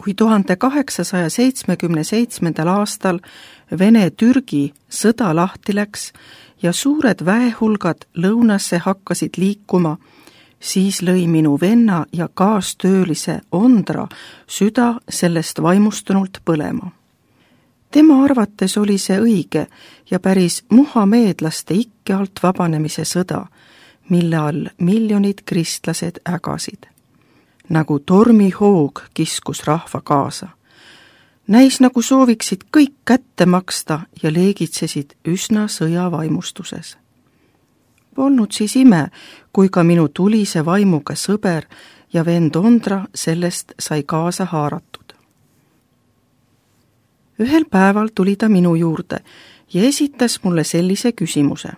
Kui 1877. aastal Vene-Türgi sõda lahti läks ja suured väehulgad lõunasse hakkasid liikuma, siis lõi minu venna ja kaastöölise Ondra süda sellest vaimustunult põlema. Tema arvates oli see õige ja päris muhameedlaste ikke alt vabanemise sõda, mille all miljonid kristlased ägasid. Nagu tormihoog kiskus rahva kaasa. Näis nagu sooviksid kõik kätte maksta ja leegitsesid üsna sõjavaimustuses. Polnud siis ime, kui ka minu tulise vaimuga sõber ja vend Ondra sellest sai kaasa haaratud. Ühel päeval tuli ta minu juurde ja esitas mulle sellise küsimuse.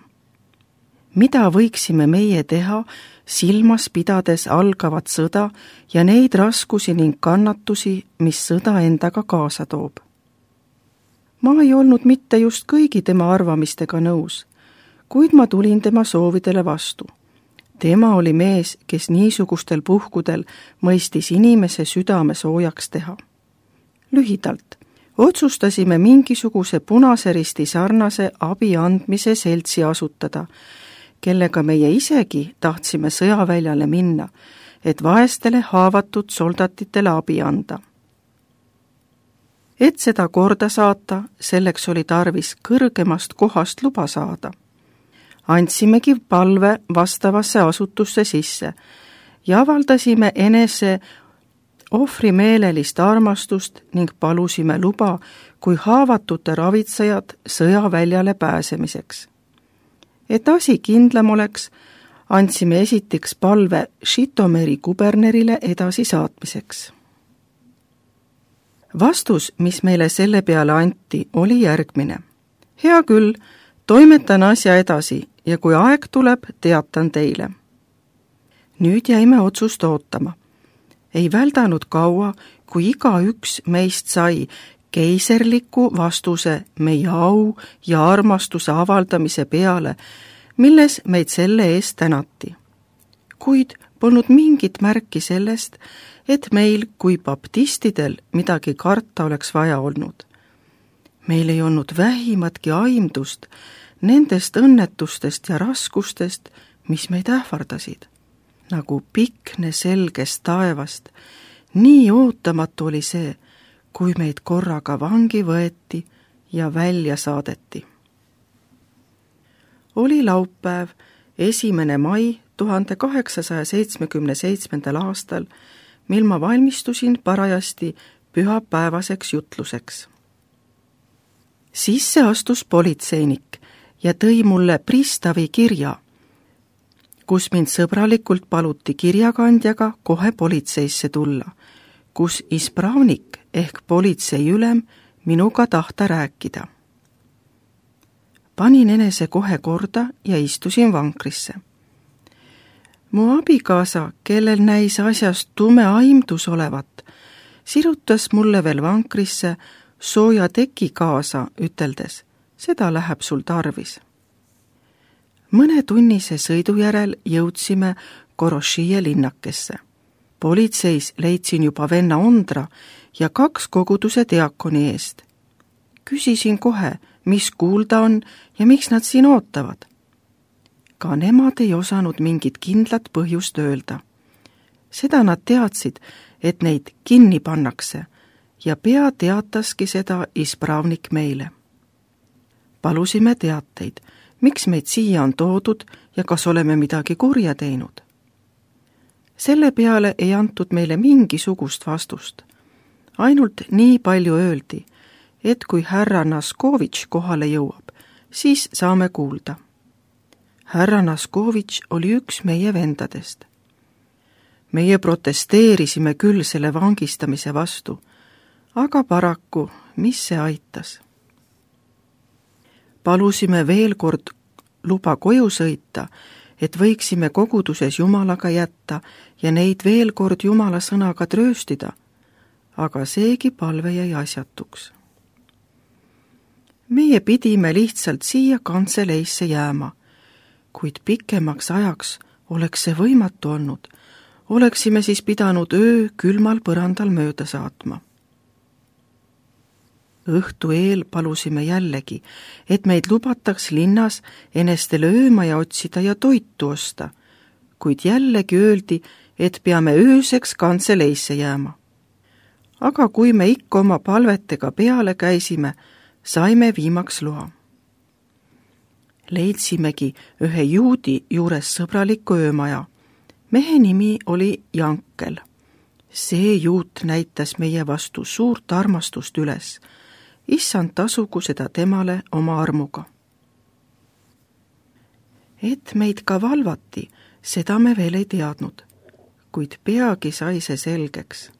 Mida võiksime meie teha, silmas pidades algavat sõda ja neid raskusi ning kannatusi, mis sõda endaga kaasa toob? Ma ei olnud mitte just kõigi tema arvamistega nõus, kuid ma tulin tema soovidele vastu. Tema oli mees, kes niisugustel puhkudel mõistis inimese südame soojaks teha. Lühidalt, otsustasime mingisuguse Punase Risti sarnase abi andmise seltsi asutada, kellega meie isegi tahtsime sõjaväljale minna, et vaestele haavatud soldatitele abi anda. Et seda korda saata, selleks oli tarvis kõrgemast kohast luba saada. Andsimegi palve vastavasse asutusse sisse ja avaldasime enese ohvrimeelelist armastust ning palusime luba kui haavatute ravitsejad sõjaväljale pääsemiseks. Et asi kindlam oleks, andsime esiteks palve Žitomeri kubernerile edasi saatmiseks. Vastus, mis meile selle peale anti, oli järgmine. Hea küll, toimetan asja edasi ja kui aeg tuleb, teatan teile. Nüüd jäime otsust ootama. Ei väldanud kaua, kui igaüks meist sai keiserliku vastuse meie au ja armastuse avaldamise peale, milles meid selle eest tänati. Kuid polnud mingit märki sellest, et meil kui baptistidel midagi karta oleks vaja olnud. Meil ei olnud vähimatki aimdust nendest õnnetustest ja raskustest, mis meid ähvardasid. Nagu pikne selgest taevast, nii ootamatu oli see, kui meid korraga vangi võeti ja välja saadeti. Oli laupäev, 1. mai 1877. aastal, mil ma valmistusin parajasti pühapäevaseks jutluseks. Sisse astus politseinik ja tõi mulle pristavi kirja, kus mind sõbralikult paluti kirjakandjaga kohe politseisse tulla, kus ispravnik ehk politseiülem minuga tahta rääkida. Panin enese kohe korda ja istusin vankrisse. Mu abikaasa, kellel näis asjast tume aimdus olevat, sirutas mulle veel vankrisse sooja teki kaasa, üteldes, seda läheb sul tarvis. Mõne tunnise sõidu järel jõudsime Korošije linnakesse. Politseis leidsin juba venna Ondra ja 2 koguduse diakoni eest. Küsisin kohe, mis kuulda on ja miks nad siin ootavad. Ka nemad ei osanud mingit kindlat põhjust öelda. Seda nad teadsid, et neid kinni pannakse ja pea teataski seda ispravnik meile. Palusime teateid, miks meid siia on toodud ja kas oleme midagi kurja teinud. Selle peale ei antud meile mingisugust vastust. Ainult nii palju öeldi, et kui härra Naskovitš kohale jõuab, siis saame kuulda. Härra Naskovitš oli üks meie vendadest. Meie protesteerisime küll selle vangistamise vastu, aga paraku, mis see aitas? Palusime veel kord luba koju sõita, et võiksime koguduses Jumalaga jätta ja neid veel kord Jumala sõnaga trööstida, aga seegi palve jäi asjatuks. Meie pidime lihtsalt siia kantseleisse jääma, kuid pikemaks ajaks oleks see võimatu olnud, oleksime siis pidanud öö külmal põrandal mööda saatma. Õhtu eel palusime jällegi, et meid lubataks linnas enestele ööma ja otsida ja toitu osta, kuid jällegi öeldi, et peame ööseks kantseleisse jääma. Aga kui me ikka oma palvetega peale käisime, saime viimaks loa. Leidsimegi ühe juudi juures sõbraliku öömaja. Mehe nimi oli Jankel. See juut näitas meie vastu suurt armastust üles. Issand tasugu seda temale oma armuga. Et meid ka valvati, seda me veel ei teadnud, kuid peagi sai see selgeks.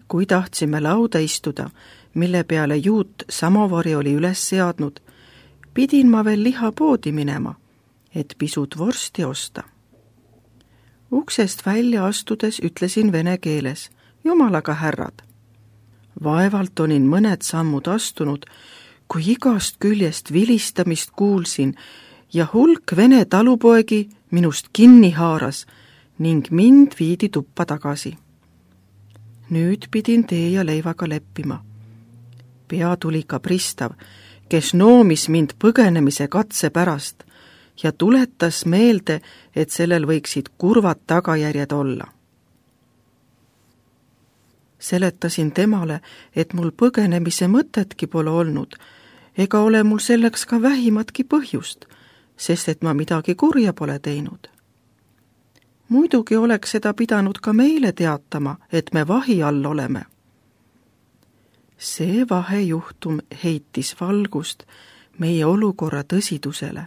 Kui tahtsime lauda istuda, mille peale juut samovari oli üles seadnud, pidin ma veel lihapoodi minema, et pisut vorsti osta. Uksest välja astudes ütlesin vene keeles, jumalaga härrad. Vaevalt olin mõned sammud astunud, kui igast küljest vilistamist kuulsin ja hulk vene talupoegi minust kinni haaras ning mind viidi tuppa tagasi. Nüüd pidin tee ja leivaga leppima. Pea tuli ka pristav, kes noomis mind põgenemise katse pärast ja tuletas meelde, et sellel võiksid kurvad tagajärjed olla. Seletasin temale, et mul põgenemise mõtetki pole olnud, ega ole mul selleks ka vähimatki põhjust, sest et ma midagi kurja pole teinud. Muidugi oleks seda pidanud ka meile teatama, et me vahi all oleme. See vahejuhtum heitis valgust meie olukorra tõsidusele,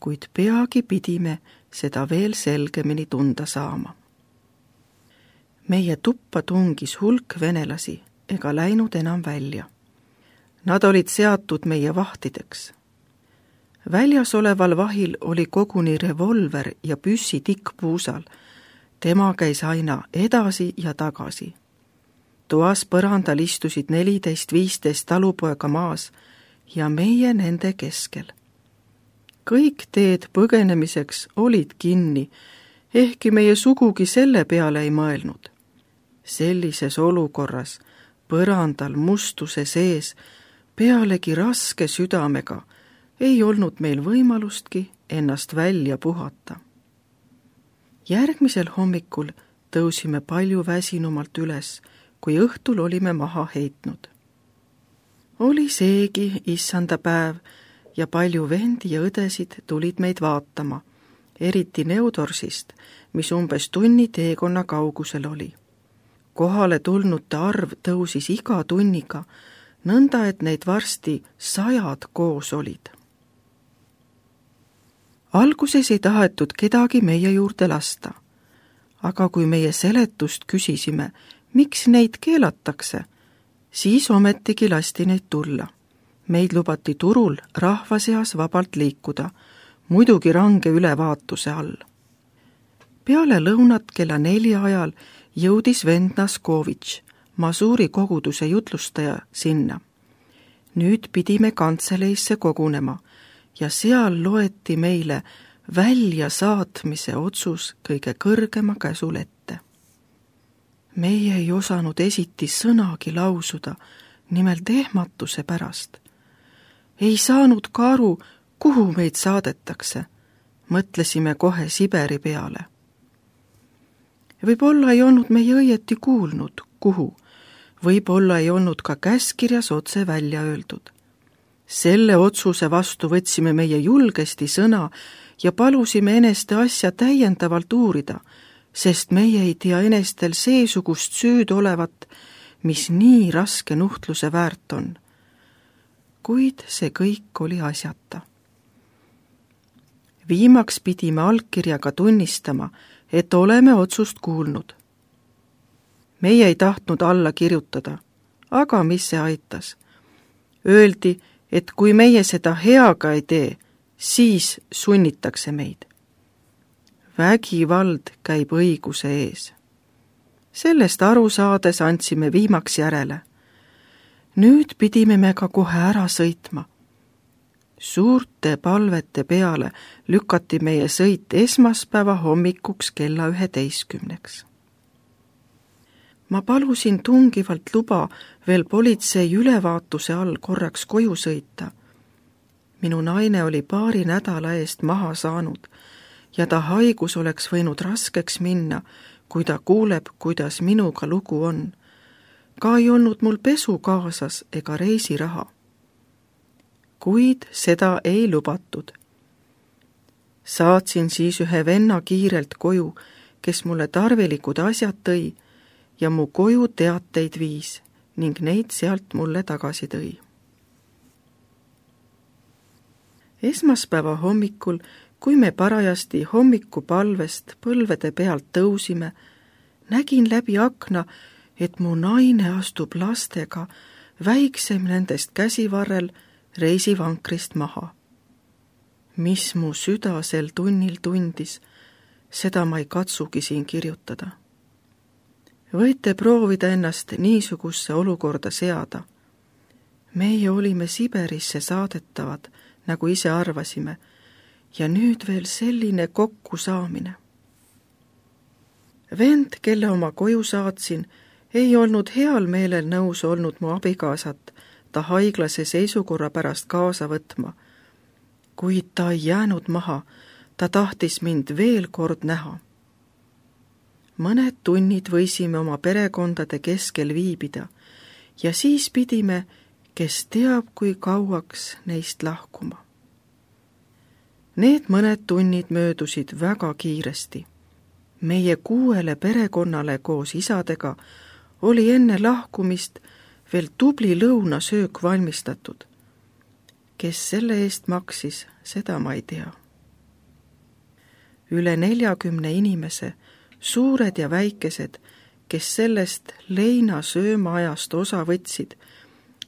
kuid peagi pidime seda veel selgemini tunda saama. Meie tuppa tungis hulk venelasi ega läinud enam välja. Nad olid seatud meie vahtideks. Väljas oleval vahil oli koguni revolver ja püssi tikkpuusal. Tema käis aina edasi ja tagasi. Toas põrandal istusid 14-15 talupoega maas ja meie nende keskel. Kõik teed põgenemiseks olid kinni, ehkki meie sugugi selle peale ei mõelnud. Sellises olukorras, põrandal mustuse sees, pealegi raske südamega, ei olnud meil võimalustki ennast välja puhata. Järgmisel hommikul tõusime palju väsinumalt üles, kui õhtul olime maha heitnud. Oli seegi issanda päev ja palju vendi ja õdesid tulid meid vaatama, eriti Neudorsist, mis umbes tunni teekonna kaugusel oli. Kohale tulnute arv tõusis iga tunniga, nõnda et neid varsti 100 koos olid. Alguses ei tahetud kedagi meie juurde lasta, aga kui meie seletust küsisime, miks neid keelatakse, siis ometigi lasti neid tulla. Meid lubati turul rahva seas vabalt liikuda, muidugi range ülevaatuse all. Peale lõunat kella 4 ajal jõudis vend Naskovitš, Masuuri koguduse jutlustaja, sinna. Nüüd pidime kantseleisse kogunema ja seal loeti meile väljasaatmise otsus kõige kõrgema käsul ette. Meie ei osanud esiti sõnagi lausuda, nimelt ehmatuse pärast. Ei saanud ka aru, kuhu meid saadetakse. Mõtlesime kohe Siberi peale. Võib-olla ei olnud meie õieti kuulnud, kuhu. Võib-olla ei olnud ka käskirjas otse välja öeldud. Selle otsuse vastu võtsime meie julgesti sõna ja palusime eneste asja täiendavalt uurida, sest meie ei tea enestel seesugust süüd olevat, mis nii raske nuhtluse väärt on. Kuid see kõik oli asjata. Viimaks pidime allkirjaga tunnistama, et oleme otsust kuulnud. Meie ei tahtnud alla kirjutada, aga mis see aitas? Öeldi, et kui meie seda heaga ei tee, siis sunnitakse meid. Vägivald käib õiguse ees. Sellest aru saades andsime viimaks järele. Nüüd pidime me ka kohe ära sõitma. Suurte palvete peale lükati meie sõit esmaspäeva hommikuks kella 11. Ma palusin tungivalt luba veel politsei ülevaatuse all korraks koju sõita. Minu naine oli paari nädala eest maha saanud ja ta haigus oleks võinud raskeks minna, kui ta kuuleb, kuidas minuga lugu on. Ka ei olnud mul pesu kaasas ega reisiraha. Kuid seda ei lubatud. Saatsin siis ühe venna kiirelt koju, kes mulle tarvilikud asjad tõi ja mu koju teateid viis ning neid sealt mulle tagasi tõi. Esmaspäeva hommikul, kui me parajasti hommikupalvest põlvede pealt tõusime, nägin läbi akna, et mu naine astub lastega väiksem nendest käsivarrel reisivankrist maha. Mis mu süda sel tunnil tundis, seda ma ei katsugi siin kirjutada. Võite proovida ennast niisugusse olukorda seada. Meie olime Siberisse saadetavad, nagu ise arvasime, ja nüüd veel selline kokkusaamine. Vend, kelle oma koju saatsin, ei olnud heal meelel nõus olnud mu abikaasat ta haiglase seisukorra pärast kaasa võtma, kuid ta ei jäänud maha, ta tahtis mind veel kord näha. Mõned tunnid võisime oma perekondade keskel viibida ja siis pidime, kes teab, kui kauaks neist lahkuma. Need mõned tunnid möödusid väga kiiresti. Meie 6 perekonnale koos isadega oli enne lahkumist veel tubli lõunasöök valmistatud. Kes selle eest maksis, seda ma ei tea. Üle 40 inimese, suured ja väikesed, kes sellest leinasöömaajast osa võtsid,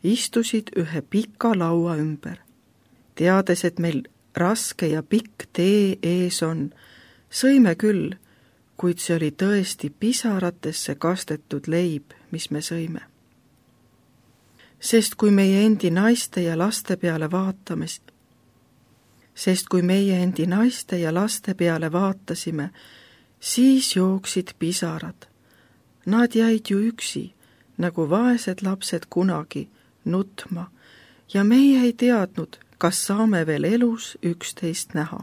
istusid ühe pika laua ümber. Teades, et meil raske ja pikk tee ees on, sõime küll, kuid see oli tõesti pisaratesse kastetud leib, mis me sõime. Sest kui meie endi naiste ja laste peale vaatasime, siis jooksid pisarad. Nad jäid ju üksi, nagu vaesed lapsed kunagi, nutma, ja meie ei teadnud, kas saame veel elus üksteist näha.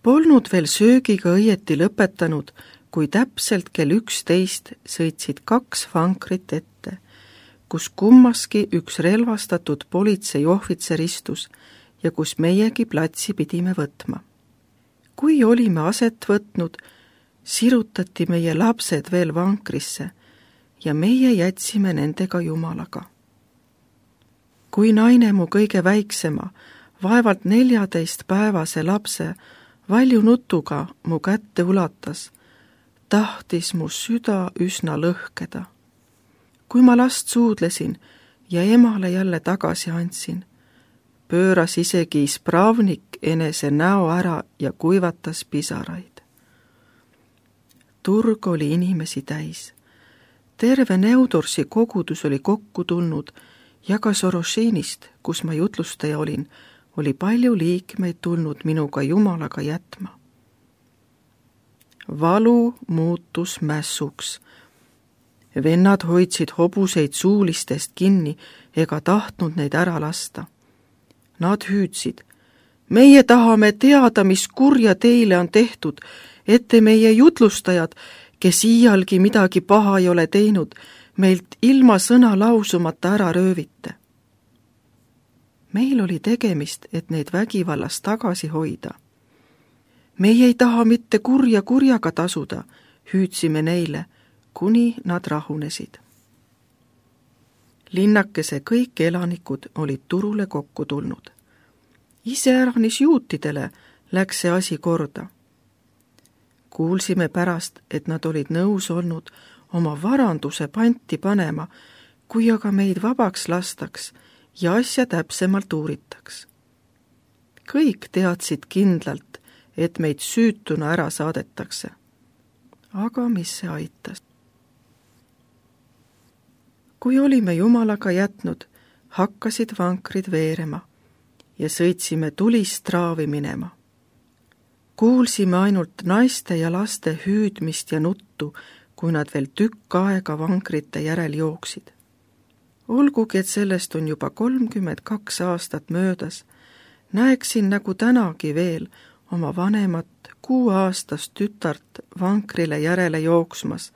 Polnud veel söögiga õieti lõpetanud, kui täpselt kell 11 sõitsid 2 vankrit ette, kus kummaski üks relvastatud politseiohvitser istus ja kus meiegi platsi pidime võtma. Kui olime aset võtnud, sirutati meie lapsed veel vankrisse ja meie jätsime nendega Jumalaga. Kui naine mu kõige väiksema, vaevalt 14-päevase lapse valju nutuga mu kätte ulatas, tahtis mu süda üsna lõhkeda. Kui ma last suudlesin ja emale jälle tagasi andsin, pööras isegi ispravnik enese näo ära ja kuivatas pisaraid. Turg oli inimesi täis. Terve Neudorsi kogudus oli kokku tulnud ja ka Sorošinist, kus ma jutlustaja olin, oli palju liikmeid tulnud minuga Jumalaga jätma. Valu muutus mässuks. Vennad hoidsid hobuseid suulistest kinni ega tahtnud neid ära lasta. Nad hüüdsid, meie tahame teada, mis kurja teile on tehtud, ette meie jutlustajad, kes iialgi midagi paha ei ole teinud, meilt ilma sõna lausumata ära röövite. Meil oli tegemist, et neid vägivallast tagasi hoida. Meie ei taha mitte kurja kurjaga tasuda, hüüdsime neile, kuni nad rahunesid. Linnakese kõik elanikud olid turule kokku tulnud. Iseäranis juutidele läks see asi korda. Kuulsime pärast, et nad olid nõus olnud oma varanduse panti panema, kui aga meid vabaks lastaks ja asja täpsemalt uuritaks. Kõik teadsid kindlalt, et meid süütuna ära saadetakse. Aga mis see aitas? Kui olime Jumalaga jätnud, hakkasid vankrid veerema ja sõitsime tulist traavi minema. Kuulsime ainult naiste ja laste hüüdmist ja nuttu, kui nad veel tükk aega vankrite järel jooksid. Olgugi, et sellest on juba 32 aastat möödas, näeksin nagu tänagi veel oma vanemat 6-aastast tütart vankrile järele jooksmas,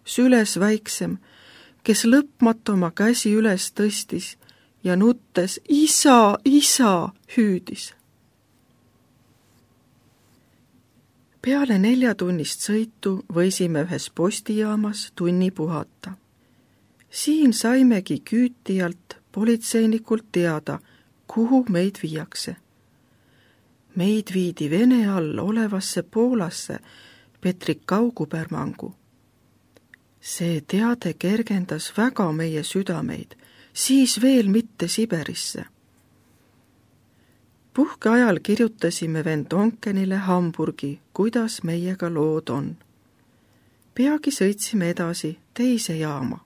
süles väiksem, kes lõpmatu oma käsi üles tõstis ja nuttes isa, isa hüüdis. Peale 4-tunnist sõitu võisime ühes postijaamas tunni puhata. Siin saimegi küütijalt politseinikult teada, kuhu meid viiakse. Meid viidi Vene all olevasse Poolasse Petrikau kubermangu. See teade kergendas väga meie südameid, siis veel mitte Siberisse. Puhkeajal kirjutasime vend Onkenile Hamburgi, kuidas meiega lood on. Peagi sõitsime edasi teise jaama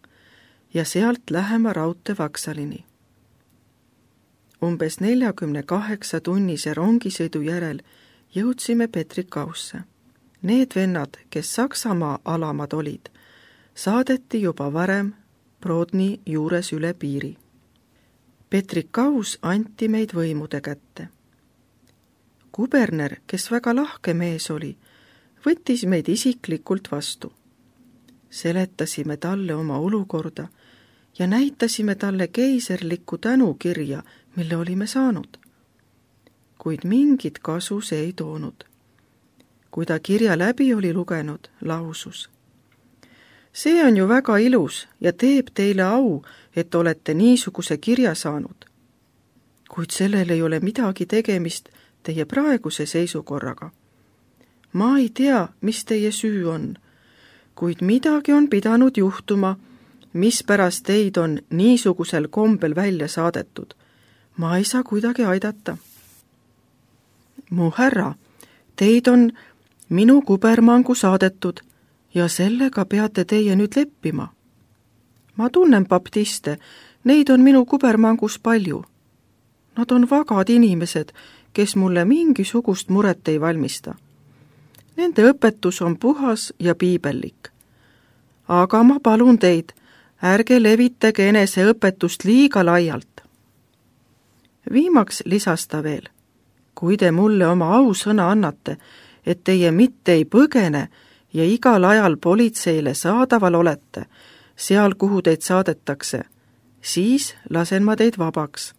ja sealt lähema raudteevaksalini. Umbes 48-tunnise rongisõidu järel jõudsime Petrikausse. Need vennad, kes Saksamaa alamad olid, saadeti juba varem Brodni juures üle piiri. Petrikaus anti meid võimude kätte. Kuberner, kes väga lahke mees oli, võttis meid isiklikult vastu. Seletasime talle oma olukorda ja näitasime talle keiserlikku tänukirja, mille olime saanud. Kuid mingit kasu see ei toonud. Kui ta kirja läbi oli lugenud, lausus: see on ju väga ilus ja teeb teile au, et olete niisuguse kirja saanud. Kuid sellel ei ole midagi tegemist teie praeguse seisukorraga. Ma ei tea, mis teie süü on, kuid midagi on pidanud juhtuma, mispärast teid on niisugusel kombel välja saadetud. Ma ei saa kuidagi aidata. Mu härra, teid on minu kubermangu saadetud ja sellega peate teie nüüd leppima. Ma tunnen baptiste, neid on minu kubermangus palju. Nad on vagad inimesed, kes mulle mingisugust muret ei valmista. Nende õpetus on puhas ja piibellik. Aga ma palun teid, ärge levitage enese õpetust liiga laialt. Viimaks lisas ta veel: kui te mulle oma ausõna annate, et teie mitte ei põgene ja igal ajal politseile saadaval olete, seal, kuhu teid saadetakse, siis lasen ma teid vabaks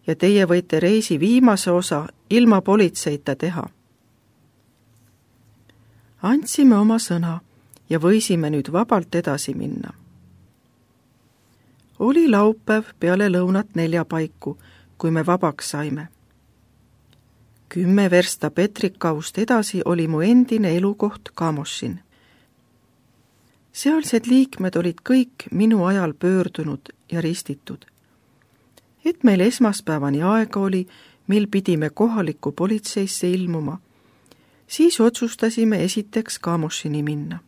ja teie võite reisi viimase osa ilma politseita teha. Andsime oma sõna ja võisime nüüd vabalt edasi minna. Oli laupäev peale lõunat 4 paiku, kui me vabaks saime. 10 versta Petrikaust edasi oli mu endine elukoht Kamošin. Sealsed liikmed olid kõik minu ajal pöördunud ja ristitud. Et meil esmaspäevani aega oli, mil pidime kohalikku politseisse ilmuma, siis otsustasime esiteks Kamošini minna.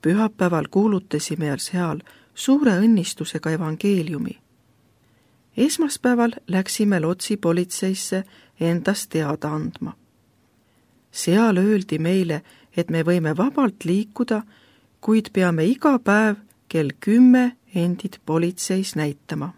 Pühapäeval kuulutasime seal suure õnnistusega evangeeliumi. Esmaspäeval läksime Lotsi politseisse endast teada andma. Seal öeldi meile, et me võime vabalt liikuda, kuid peame iga päev kell 10 endid politseis näitama.